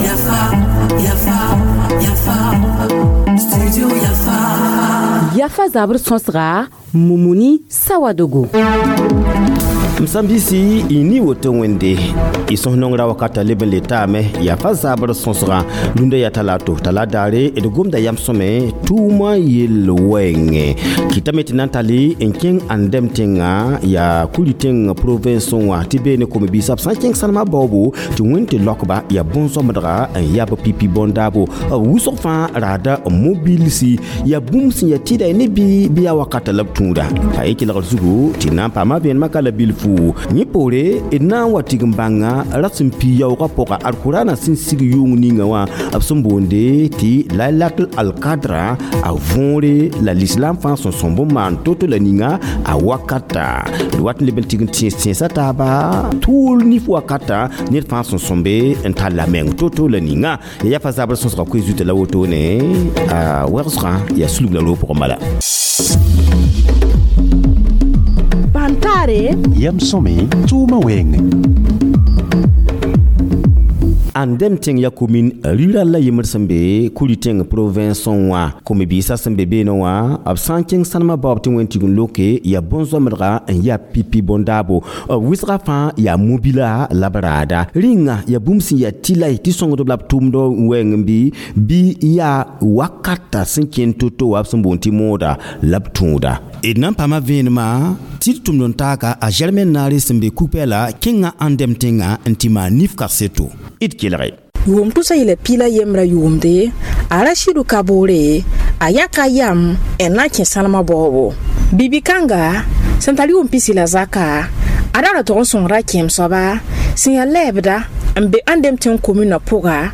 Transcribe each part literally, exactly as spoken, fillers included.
Yafa, Yafa, Yafa, Studio Yafa. Yafa zabr sõsga Mumuni Sawadogo. M sãn-biisi y ni woto wẽnde y sõs nongrã wakata leb n le taame yaa fa zabr sõsgã rũndã yaa talato t'a la daare d gomda yam sõme tʋʋmã yell wɛɛngẽ kɩtame tɩ na n tall n kẽng ãndɛm tẽngã yaa kuri tẽng province wã tɩ beene kom-biisã b sã n kẽng sãnemã baoobo tɩ wẽnd tɩ laokba yaa bõn-sõmdga n yab pipi bõn-daabo b wʋsg fãa raada mobilsi yaa bũmb sẽn yaa tɩda ne bɩ bɩ yaa wakata la b tũuda a ye kelgr zugu tɩ na n paama vẽenemã ka la bilfu yẽ poore d na n wa tigim bãnga ra sẽn pi yaoogã pʋga alkurana sẽn sig yʋng ninga wã b sẽn boonde tɩ lailatul alkadra a võore la lislam fãa sẽn sõmb n maan to-to la ninga a wakata d wat n leb n tigim tẽes tẽesã taaba tʋʋl nif wakata ned fãa sẽn sõmbe n talla meng to-to la ninga ya yafa zabr sõsga koe zuta la wotone a wɛgsgã yaa sulg la roog pʋgẽ bala. Pantare yam sõme tʋʋmã wɛɛngẽ. Ãndɛm tẽng yaa komin rira la yembr sẽn be kuri tẽng province wã kom-biisã sẽn be beene wã b sã n kẽng sãnemã baoob tɩ wẽnd tigim loke yaa bõn-zoamdga n yaa pipi bõn-daabo b wɩsga fãa yaa mobila la b raada rĩnga yaa bũmb sẽn yaa tɩlay tɩ sõngdb la b tʋʋmd wɛɛng bɩ bɩ yaa wakata sẽn kẽnd to-to wa b sẽn boond tɩ mooda la b tũuda d na n paama vẽenemã tɩ d tʋmd n taaka a Germaine Naare sẽn be ku-pɛɛla kẽngã ãndɛm tẽngã n tɩ maan nif kaseto d kelge. Yʋʋm tʋsa yela piila yembrã yʋʋmde a Rashidu Kaboore a yaka yam n na n kẽ sãlemã baoobo bibi-kãnga sẽn tar yʋʋm pisi la zaka a ra ra tog n sõngra kẽem soaba sẽn yaa lɛɛbda n be ãndem tẽng kominã pʋga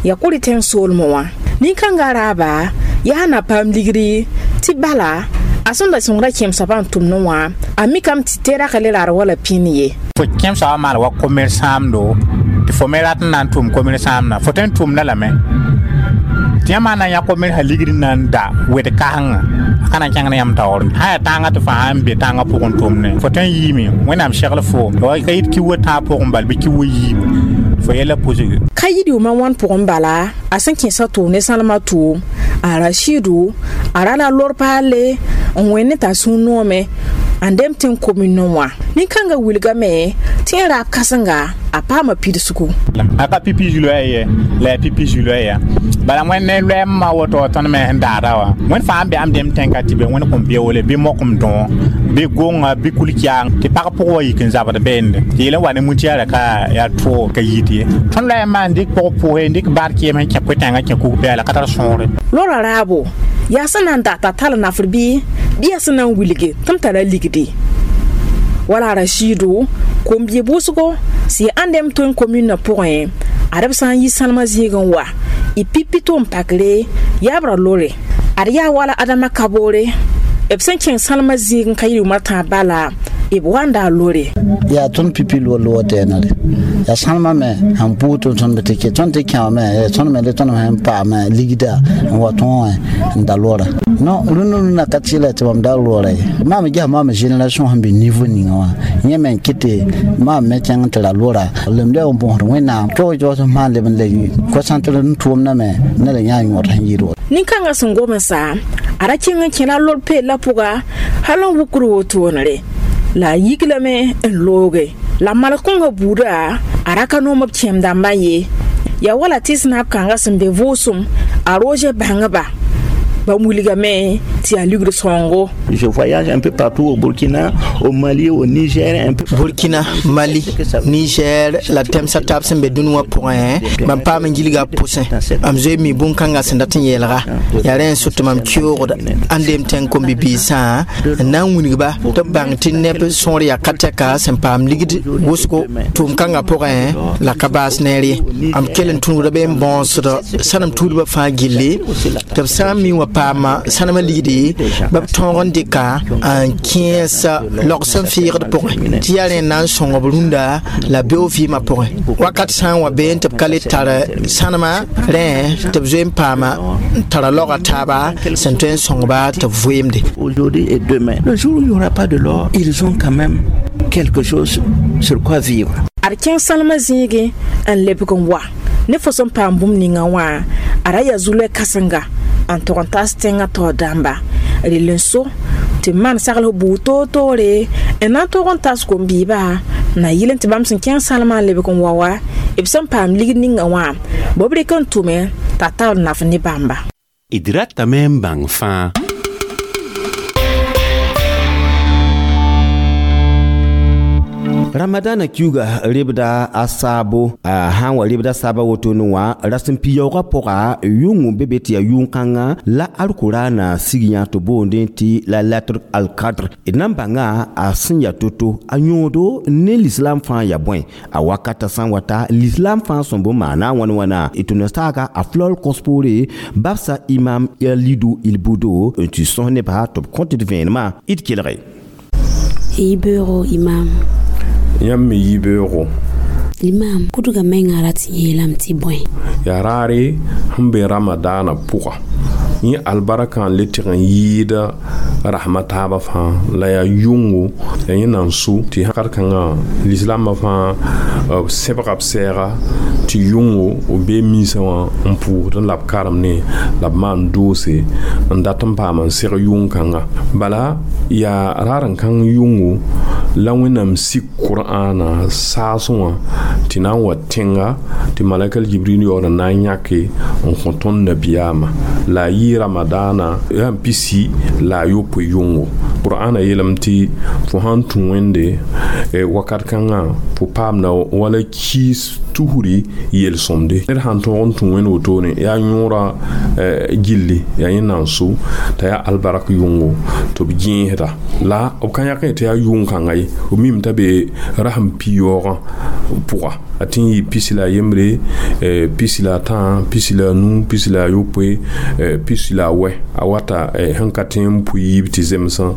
yaa kʋrɩ tẽng soolmẽ wã nin-kãngã raaba yaa na paam ligri tɩ bala a sẽn da sõngra kẽem soabã n tʋmdẽ wã a mikame tɩ tɩ le raar wala pĩnd ye. Fo kẽem soabã maan wa commerçant-do tɩ fo me rat n na n tʋm commerçant-na fo tõe n tʋmda lame tɩ yãmb na n yã commercã ligd n na n da wed kasengã a ka na n kẽng ne yãmb taoor sã yaa tãangã tɩ fãa n be tãangã pʋgẽ tʋmne fo tõe n yiime wẽnnaam segl foom ka yit ki wa tãag pʋgẽ bal bɩ ki wa yiibu fo yɛla pʋsg ka yid yʋʋmã wãn pʋgẽ bala a sẽn kẽesa tʋʋm ne sãlemã tʋʋm a Rashidu a ra la lor paale n wẽnd ne t'a sũur noome ãndɛm tẽng kominẽ wã nin-kãngã wilgame tɩ yẽ raab kãsenga a paama pidsgu. A ka pipi zu-loɛɛ ye la yaa pipi zu-loɛɛ ya bala wẽnd ne loɛɛmã woto tõnd me sẽn daada wã wẽnd fãa n be ãmb dem tẽnka tɩ be wẽnd kõn beoole bɩ mokem dõ bɩ gonga bɩ kul-kiaang tɩ pag pʋg wa yik n zabd beende tɩ yel n wa ne mutiara ka yaa tʋʋg ka yit ye tõnd loɛɛmã n dɩk pʋg pʋʋse n dɩk baad kɩɩm sẽn kẽ koe-tãngã kẽ kug-pɛɛla ka tar sõore. Lora raabo yaa sẽn na n dat t'a tall nafr bɩ bɩ yaa sẽn na n wilge tɩ m tara ligdi wala Rashidu kom-bia wʋsgo sẽn yaa ãndɛm tõe n kominã pʋgẽ ad b sã n yi sãlemã zĩig n wa y pipi tʋʋm pakre yaabra lore ad yaa wala Adama Kaboore b sẽn kẽng sãlemã zĩig n ka yɩ yʋʋmã tãab bala b wanda a lore. Yaa tõnd pipi loor loog tɛɛnare yaa sãnemã me sẽn pʋʋg tɩ tõnd tɩ kẽ tõnd tɩ kẽwame tõnd me le tõnd sẽn paame ligda n wa tõe n da loora non rũndã rũndã ka tɩɩla tɩ mam da loora ye maam ges maam génération sẽn be niveau ninga wã yẽ me n kɩte maam me kẽng tɩ ra loora lemda n bõsd wẽnnaam tog jaoos n maan leb n le concentre n tʋʋmdã me ne la yã yõod sẽn yɩɩd woto. Nin-kãngã sẽn gomsa a ra kẽng n kẽla lor peella pʋga hal n wukr wotone la a yiglame n looge la malg-kõngã buuda a ra ka noom b kẽem dãmbã ye yaa wala tɩ sẽn kãngã sẽn be vʋʋsem a roge bãngba bãmb wilgame tɩ yaa ligd sõngo. Je voyage un peu partout au Burkina, au Mali, au Niger, un peu. Burkina, Mali, Niger, la tɛmsã taab sẽn be dũni wã pʋgẽ mam paam n gilga pʋsẽ mam zoe mi bũn-kãngã sẽn dat n yeelga yaa rẽ n sʋ tɩ mam keoogda ãndem tẽng kom-bibiisã n na n wilgba tɩ b bãng tɩ neb sõor yaa ka tɛka sẽn paam ligd wʋsgo tʋʋm-kãngã pʋgẽ la ka baas neer ye am kell n tũnuda be n bõosd sãnem tuudbã fãa gilli tɩ b sã n mi wã paama sãnemã ligdi ba b tõog n dɩka n kẽes laog sẽn fɩɩgd pʋgẽ tɩ yaa rẽ n na n sõng b rũndã la beoog vɩɩmã pʋgẽ wakat sã n wa bee tɩ b ka le tar sãnemã rẽ tɩ b zoe n paama n tara laoga taaba sẽn tõe n sõngba tɩ b vɩɩmde. Aujourd'hui et demain, le jour où il n'y aura pas de l'or, ils ont quand même quelque chose sur quoi vivre. Ad kẽng sãlmã zĩigẽ n lebg n wa ne fo sẽn paam bũmb ninga wã a ra yaa zu-loɛ kãsenga n tog n tas tẽngã taoor dãmba rel n so tɩ maan sagls buud toor-toore n na n tog n tas kom-biibã na yɩl n tɩ bãmb sẽn kẽng sãlmã n lebg n wa wa b sẽn paam ligd ninga wã b b rɩk n tʋme t'a tar naf ne bãmba. D ratame n bãng fãa. Ramadana kiuga rebda a saabo a sãn wa rebda saaba wotone wã rasem pi-yaoogã pʋga yʋng be be tɩ yaa yʋng-kãngã la alkʋraana sig yã tɩ boondẽ tɩ la lettre al-kadr d na n bãnga a sẽn yaa to-to a yõodo ne l'islam fãa yaa bõe a wakata sã n wata l'islam fãa sõm bõn maana wãn wãna d tʋm saaga a flol kos poore babsa imam Alidu Ilbudo n tɩ sõs nebã tɩ b kõ tɩ d vẽenemã d kelge. Yibeoogo imam. Yãmb me yibeoogo. Imam, kudga menga rat n yeelame tɩ bõe? Yaa raare sẽn be ramadaanã pʋga yẽ albarkã n le tɩg n yɩɩda rasmã taabã fãa la yaa yʋngo la yẽ nan so tɩ wakat-kãngã lislaambã fãa b sẽbga b sɛɛga tɩ yʋngo b bee minsã wã n pʋʋsdẽ la b karemne la b maan doose n dat n paam n seg yʋng-kãnga bala yaa raar n kãng yʋngo la wẽnnaam sik qur'aana saasẽ wã tɩ na n wa tẽnga tɩ malakal jibril yaool n na n yãke n kõ tõnd nabiyaamã la a yɩ ramadaana yaa n pisi la a yopoe yʋngo qur'aana yeelame tɩ fo sãn tũ wẽnde wakat kãngã fo paamda wala kiis tusri yel-sõmde ned sãn tõog n tũ wẽnd wotone yaa yõora gilli yaa yẽ nan so t'a yaa albarak yʋngo tɩ b gẽesda la b ka yãk tɩ yaa yʋng-kãnga ye b mim t'a be rasem pi-yaoogã pʋga a tɩ n yɩ pisi la a yembre pisi la a tã pisi la a nu pisi la a yopoe pisi la a wɛ a wata sẽn ka tẽ n pʋ yiib tɩ zemsã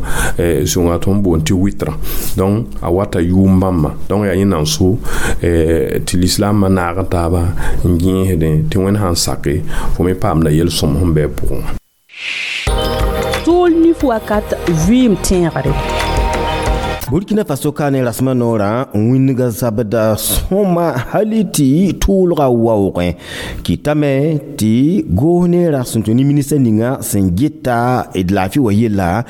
sõnga tõnd boond tɩ wɩtrã donc a wata yʋʋm bãmba donc yaa yẽ nan so tɩ lislaambã naag taaba n gẽesdẽ tɩ wẽnd sãn sake fo me paamda yel-sõm sẽn bɩ a pʋgẽ wã. Tʋʋl nif wakat vɩɩm tẽegre. Burkina Faso ka ne rasmã noorã n wĩnga zabda sõma hali tɩ tʋʋlga waoogẽ kɩtame tɩ goos ne ra sẽn tũ ne minista ninga sẽn geta d laafɩ wa yella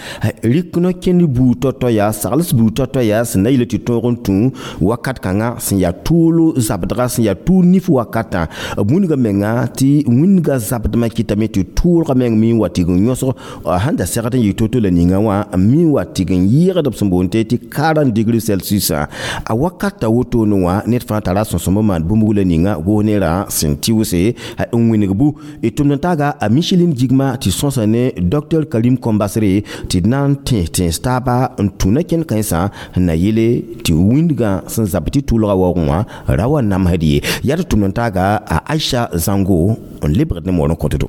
rɩk no-kẽnd buud tɔ-tɔ yaa sagls buud tɔ-tɔ yaa sẽn na yɩl tɩ tõog n tũ wakat kãngã sẽn yaa tʋʋl zabdga sẽn yaa tʋʋl nif wakatã b wĩnga menga tɩ wĩnga zabdmã kɩtame tɩ tʋʋlga meng mi n wa tɩg n yõsg sãn da segd n yɩ to-to la ninga wã mi n wa tɩg n yɩɩgd b sẽn boond tɩ quarante degrés Celsius a wakata wotone wã ned fãa tara sõsẽm n maan bũmb la ninga goos nerã sẽn tɩʋse n wĩneg bu d tʋmd n taaga a Micheline Jigma tɩ sõsa ne docteur Karim Kombasre tɩ d na n tẽes tẽes taaba n tũ na-kẽnd kãensã n na yele tɩ wĩndgã sẽn zab tɩ tʋʋlga waoogẽ wã ra wa namsd ye yaa tɩ tʋmd n taaga a Aisha Zango n lebgd ne moor n kõtdo.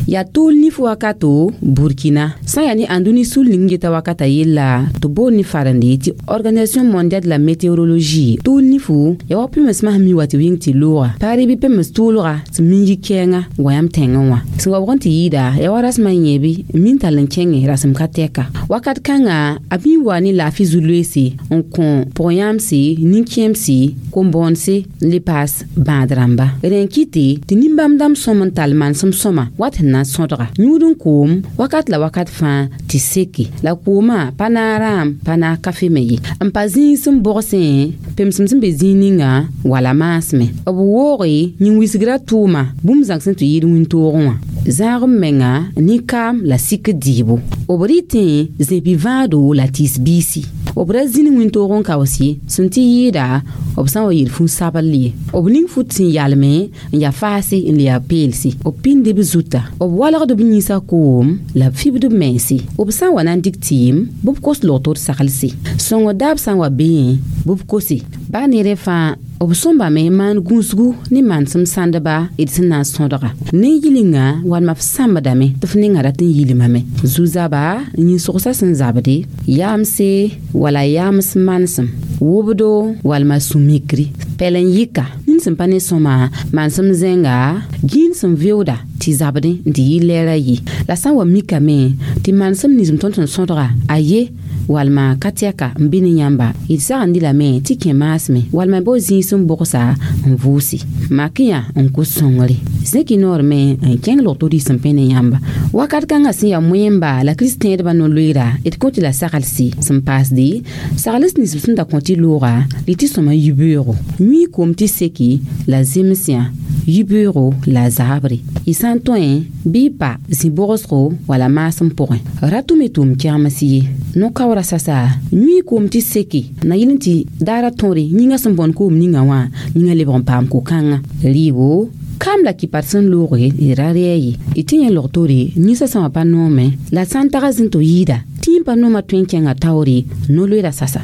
Yaa tʋʋl nif wakato Burkina sã n yaa ne ãnduni sul ning geta wakata yella tɩ boond ne farende tɩ Organisation mondiale de la météorologie tʋʋl nifu yaa wa pemsmã sẽn mi wa tɩ wɩng tɩ looga paare bɩ pems tʋʋlga tɩ min yɩ kɛɛngã wa yãmb tẽngẽ wã sẽn wa wʋgẽ tɩ yɩɩda yaa wa rasmã yẽebe n min tall n kẽngẽ rasem ka tɛka wakat kãngã a bɩ n wa ne laafɩ zu-loeese n kõ pʋg-yãamse nin-kẽemse kom-bõonse n le paas bãad rãmba rẽ n kɩte tɩ nin-bãmb dãmb sõm n tall manesem sõma wat sẽn na n sõdga yũud n koom wakat la wakat fãa tɩ seke la koomã pa naag rãam pa naag kafe me ye n pa zĩig sẽn bogsẽ pemsem sẽn be zĩig ninga wala maasmẽ b wooge yĩn-wisgrã tʋʋma bũmb zãng sẽn tɩ yɩɩd wĩntoogẽ wã zãag m menga nin-kaam la sik dɩɩbo b rɩtẽ zẽbi vãado la tɩɩs biisi b ra zĩn wĩntoog n kaoos ye sẽn tɩ yɩɩda b sã n wa yel fũ-sabl ye b ning fut sẽn yalme n yaa faase n le yaa peelse b pĩnd b zuta b walgd b yĩnsã koom la b fibd b mense b sã n wa na n dɩk tɩɩm bɩ b kos log-tor saglse sõngr daab sã n wa beẽ bɩ b kose baa neerã fãa b sõmbame maan gũusgu ne manesem sãndba d sẽn na n sõdga ne yilinga walma f sãmbdame tɩ f ninga rat n yilmame zu-zaba yĩn-sogsã sẽn zabde yaamse wala yaams manesem wʋbdo walma sũ-mikri pɛl n yɩka nin sẽn pa ne sõma manesem zẽnga gĩin sẽn veooda tɩ zabdẽ n tɩ yɩ lɛɛra ye la sã n wa mikame tɩ manesem nins tõnd sẽn sõdga a ye Walma ka tɛka n bɩ ne yãmba d sagend lame tɩ kẽ maasmẽ walma bo zĩis n bogsa n vʋʋse mak yã n kos sõngre zẽk noor me n kẽng log-to sẽn pẽ ne yãmba wakat kãngã sẽn yaa moẽmba la kristẽedbã no-loeera d kõ tɩ la saglse sẽn paasde sagls nins b sẽn da kõ tɩ looga rɩ tɩ sõma yibeoogo yũi kom tɩ seki la zems yã yibeoogo la zaabre y sã n tõe bɩ y pa zĩ-bogsgo wala maasem pʋgẽ ra tʋm y tʋʋm kɛgems ye no-kaoora sasa yũi koom tɩ seke na yɩl n tɩ daara tõore yĩngã sẽn bõn koom ninga wã yĩngã lebg n paam ko-kãngã rɩɩbo kam la kɩpar sẽn looge d ra rɛɛ ye d tɩ yẽ log-toore ninsã sã wã pa noome la sã n taga zĩn tɩ yɩɩda tɩ yẽ pa noomã tõe n kẽnga taoore no-loeera sasa.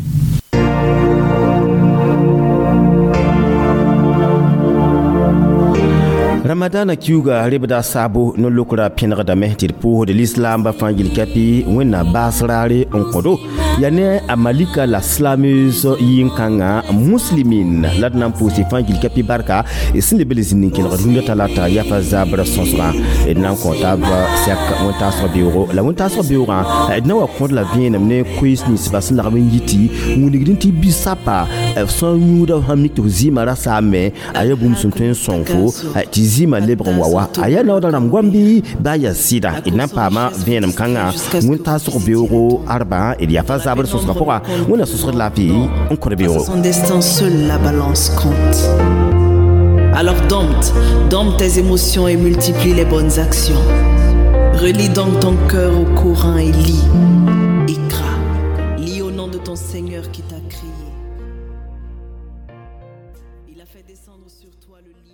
Ramadana kiuga rebda sabo no lokra pẽnegdame tɩ d pʋʋsd lislaamba fãa yel-kapi wẽnnaam baas raare n kõdo yaa ne a malika la slameuse yĩn-kãngã muslimin la d na n pʋʋs fãa yel-kapi barka sẽn leb le zĩnd n kelgd rũndã talata yafa zabr sõsgã d na n kõ taab sɛk wẽn-taasg beoogo la wẽn-taasg beoogã d na wa kõd la vẽenem ne koees ninsbã sẽn lagm n yɩ tɩ wilgd tɩ bi-sapa f sã n yũuda sãn mik tɩ f zɩɩmã ra saame a yaa bũmb sẽn tõe n sõng fo tɩ zɩɩmã lebg n wa wa a yaa naooda rãmb goam bɩ baa yaa sɩda d na n paama vẽenem kãngã wẽn-taasg beoogo arba d yaa fa zabr sõsgã pʋga wẽnna sõsgd laafɩ n kõd beoogo. Son destin, seule la balance compte. Alors dompte, dompte tes émotions et multiplie les bonnes actions. Relie donc ton cœur au courant et lis.